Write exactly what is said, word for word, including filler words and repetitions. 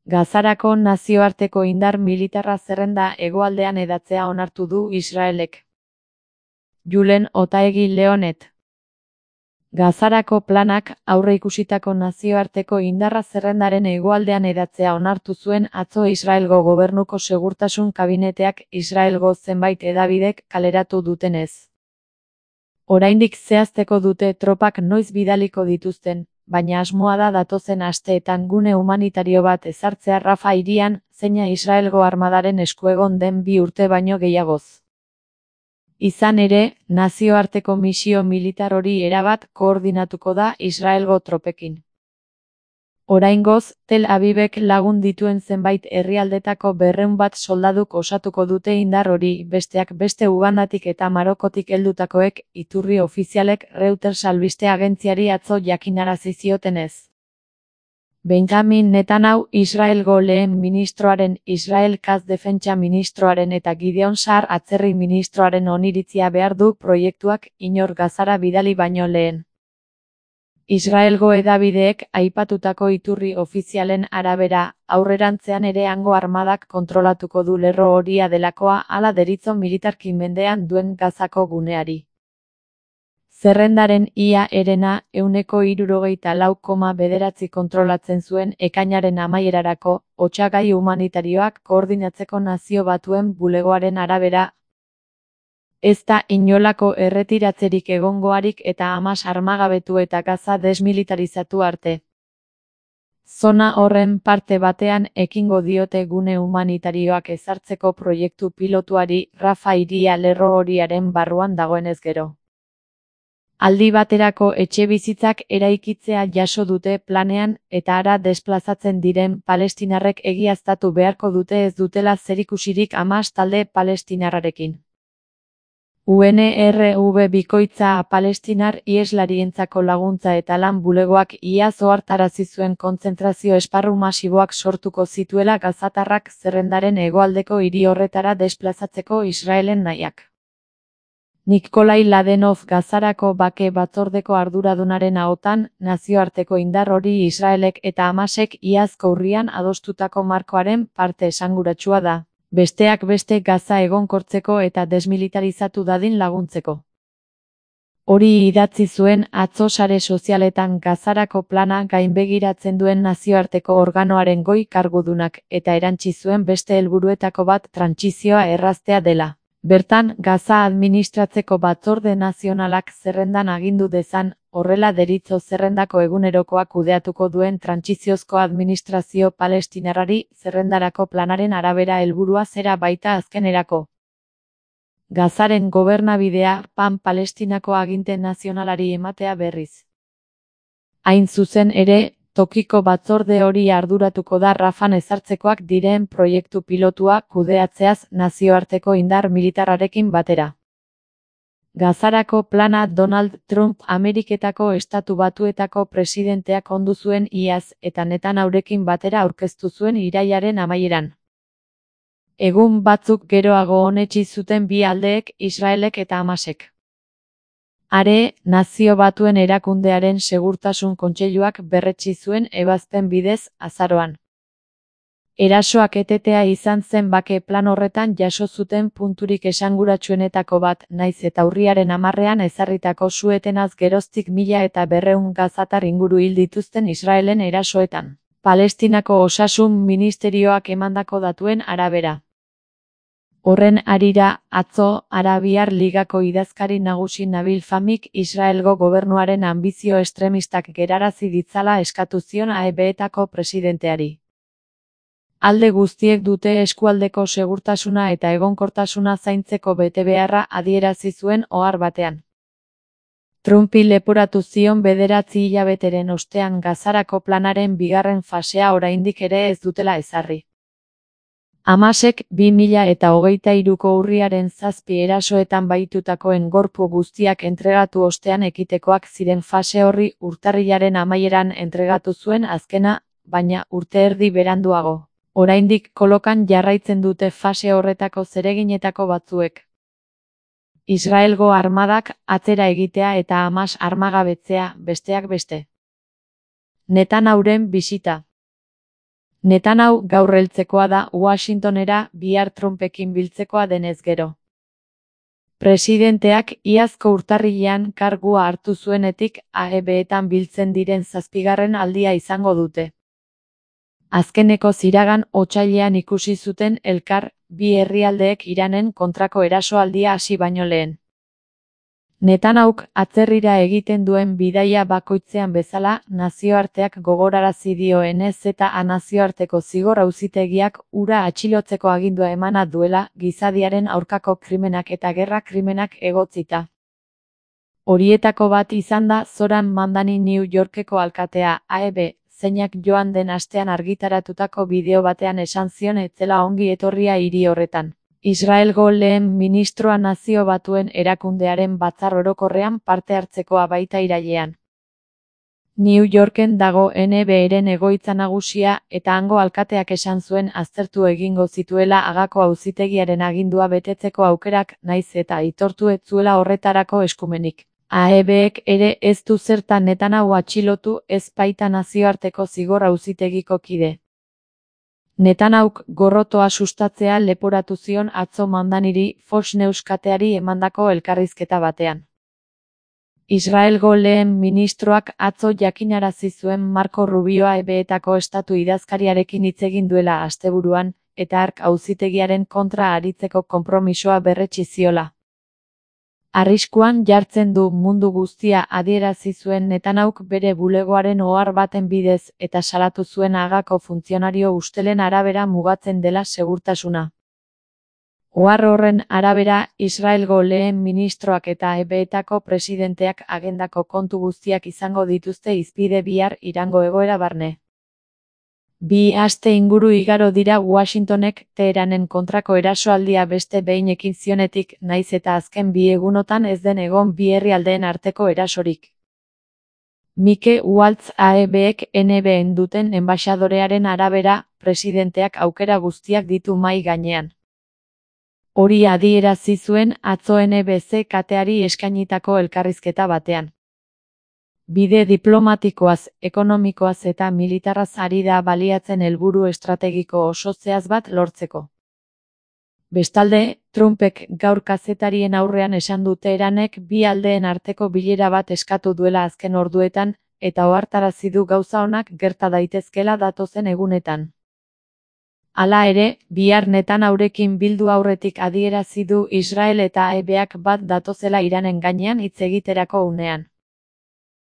Gazarako nazioarteko indar militarra zerrenda hegoaldean hedatzea onartu du Israelek. Julen Otaegi Leonet. Gazarako planak aurreikusitako nazioarteko indarra zerrendaren hegoaldean hedatzea onartu zuen atzo Israelgo gobernuko segurtasun kabineteak Israelgo zenbait hedabidek kaleratu dutenez. Oraindik zehazteko dute tropak noiz bidaliko dituzten, baina asmoa da datozen asteetan gune humanitario bat ezartzea Rafa hirian, zeina Israelgo armadaren esku egon den bi urte baino gehiagoz. Izan ere, nazioarteko misio militar hori erabat koordinatuko da Israelgo tropekin. Oraingoz, Tel Avivek lagun dituen zenbait herrialdetako berrehun bat soldaduk osatuko dute indar hori, besteak beste Ugandatik eta Marokotik heldutakoek, iturri ofizialek Reuters albiste agentziari atzo jakinarazi ziotenez. Benjamin Netanyahu Israelgo lehen ministroaren, Israel Katz defentsa ministroaren eta Gideon Sa'ar atzerri ministroaren oniritzia behar du proiektuak inor Gazara bidali baino lehen. Israelgo hedabideek aipatutako iturri ofizialen arabera, aurrerantzean ere hango armadak kontrolatuko du lerro horia delakoa hala deritzo militarki mendean duen Gazako guneari. Zerrendaren ia herena ehuneko hirurogeita lau koma bederatzi kontrolatzen zuen ekainaren amaierarako, otsagai humanitarioak koordinatzeko Nazio Batuen bulegoaren arabera. Ez da inolako erretiratzerik egongoarik eta Hamas armagabetu eta Gaza desmilitarizatu arte. Zona horren parte batean ekingo diote gune humanitarioak ezartzeko proiektu pilotuari Rafa hiria lerro horiaren barruan dagoenez gero. Aldi baterako etxebizitzak eraikitzea jaso dute planean eta hara desplazatzen diren palestinarrek egiaztatu beharko dute ez dutela zerikusirik Hamas talde palestinarrarekin. U N R W bikoitza palestinar iheslarientzako laguntza eta lan bulegoak iaz ohartarazi zuen kontzentrazio esparru masiboak sortuko zituela gazatarrak zerrendaren hegoaldeko hiri horretara desplazatzeko Israelen nahiak. Nikolai Ladenov Gazarako bake batzordeko arduradunaren ahotan, nazioarteko indar hori Israelek eta Hamasek iazko urrian adostutako markoaren parte esanguratsua da, besteak beste Gaza egonkortzeko eta desmilitarizatu dadin laguntzeko. Hori idatzi zuen atzo sare sozialetan Gazarako plana gainbegiratzen duen nazioarteko organoaren goi kargudunak eta erantsi zuen beste helburuetako bat trantsizioa erraztea dela. Bertan, Gaza administratzeko batzorde nazionalak zerrendan agindu dezan, horrela deritzo zerrendako egunerokoak kudeatuko duen trantsiziozko administrazio palestinarrari zerrendarako planaren arabera helburua zera baita azkenerako. Gazaren gobernabidea Pan Palestinako aginte nazionalari ematea berriz. Hain zuzen ere, tokiko batzorde hori arduratuko da Rafan ezartzekoak diren proiektu pilotua kudeatzeaz nazioarteko indar militarrarekin batera. Gazarako plana Donald Trump Ameriketako Estatu Batuetako presidenteak ondu zuen iaz eta Netanyahurekin batera aurkeztu zuen irailaren amaieran. Egun batzuk geroago onetsi zuten bi aldeek, Israelek eta Hamasek. Are, Nazio Batuen erakundearen segurtasun kontseiluak berretsi zuen ebazpen bidez, azaroan. Erasoak etetea izan zen bake plan horretan jaso zuten punturik esanguratsuenetako bat, naiz eta urriaren hamarrean ezarritako su-etenaz geroztik mila eta berrehun gazatar inguru hil dituzten Israelen erasoetan. Palestinako Osasun Ministerioak emandako datuen arabera. Horren harira, atzo, Arabiar Ligako idazkari nagusi Nabil Famik Israelgo gobernuaren anbizio estremistak gerarazi ditzala eskatu zion A E B-etako presidenteari. Alde guztiek dute eskualdeko segurtasuna eta egonkortasuna zaintzeko betebeharra adierazi zuen ohar batean. Trumpi leporatu zion bederatzi hilabeteren ostean Gazarako planaren bigarren fasea oraindik ere ez dutela ezarri. Hamasek bi mila eta hogeita hiruko urriaren zazpi erasoetan bahitutakoen gorpu guztiak entregatu ostean ekitekoak ziren fase horri urtarrilaren amaieran entregatu zuen azkena, baina urte erdi beranduago. Oraindik kolokan jarraitzen dute fase horretako zereginetako batzuek. Israelgo armadak atzera egitea eta Hamas armagabetzea, besteak beste. Netanyahuren bisita. Netanyahu gaur heltzekoa da Washingtonera bihar Trumpekin biltzekoa denez gero. Presidenteak iazko urtarrilean kargua hartu zuenetik A E B-etan biltzen diren zazpigarren aldia izango dute. Azkeneko ziragan otsailean ikusi zuten elkar, bi herrialdeek Iranen kontrako erasoaldia hasi baino lehen. Netanyahuk atzerrira egiten duen bidaia bakoitzean bezala, nazioarteak gogorarazi dioenez eta nazioarteko zigor auzitegiak hura atxilotzeko agindua emana duela gizadiaren aurkako krimenak eta gerra krimenak egotzita. Horietako bat izan da Zoran Mandani New Yorkeko alkatea, A E B, zeinak joan den astean argitaratutako bideo batean esan zion ez zela ongi etorria hiri horretan. Israelgo lehen ministroa Nazio Batuen erakundearen batzar orokorrean parte hartzekoa baita irailean. New Yorken dago N B-ren egoitza nagusia eta hango alkateak esan zuen aztertu egingo zituela Hagako auzitegiaren agindua betetzeko aukerak naiz eta aitortu ez zuela horretarako eskumenik. A E B-ek ere ez du zertan Netanyahu atxilotu ez baita nazioarteko zigor auzitegiko kide. Netanyahuk gorrotoa sustatzea leporatu zion atzo Mandaniri Fox News kateari emandako elkarrizketa batean. Israelgo lehen ministroak atzo jakinarazi zuen Marco Rubio A E B-etako estatu idazkariarekin hitz egin duela asteburuan, eta hark auzitegiaren kontra aritzeko konpromisoa berretsi ziola. Arriskuan jartzen du mundu guztia adierazi zuen Netanyahuk bere bulegoaren ohar baten bidez eta salatu zuen Hagako funtzionario ustelen arabera mugatzen dela segurtasuna. Ohar horren arabera, Israelgo lehen ministroak eta A E B-etako presidenteak agendako kontu guztiak izango dituzte hizpide bihar Irango egoera barne. Bi aste inguru igaro dira Washingtonek Teheranen kontrako erasoaldia beste behin ekin zionetik, naiz eta azken bi egunotan ez den egon bi herrialdeen arteko erasorik. Mike Waltz A E B-ek N B-en duten enbaxadorearen arabera, presidenteak aukera guztiak ditu mahai gainean. Hori adierazi zuen atzo N B C kateari eskainitako elkarrizketa batean. Bide diplomatikoaz, ekonomikoaz eta militarraz ari da baliatzen helburu estrategiko oso zehaz bat lortzeko. Bestalde, Trumpek gaur kazetarien aurrean esan du Teheranek bi aldeen arteko bilera bat eskatu duela azken orduetan, eta ohartarazi du gauza onak gerta daitezkela datozen egunetan. Hala ere, bihar Netanyahurekin bildu aurretik adierazi du Israel eta A E B-ak bat datozela Iranen gainean hitz egiterako unean.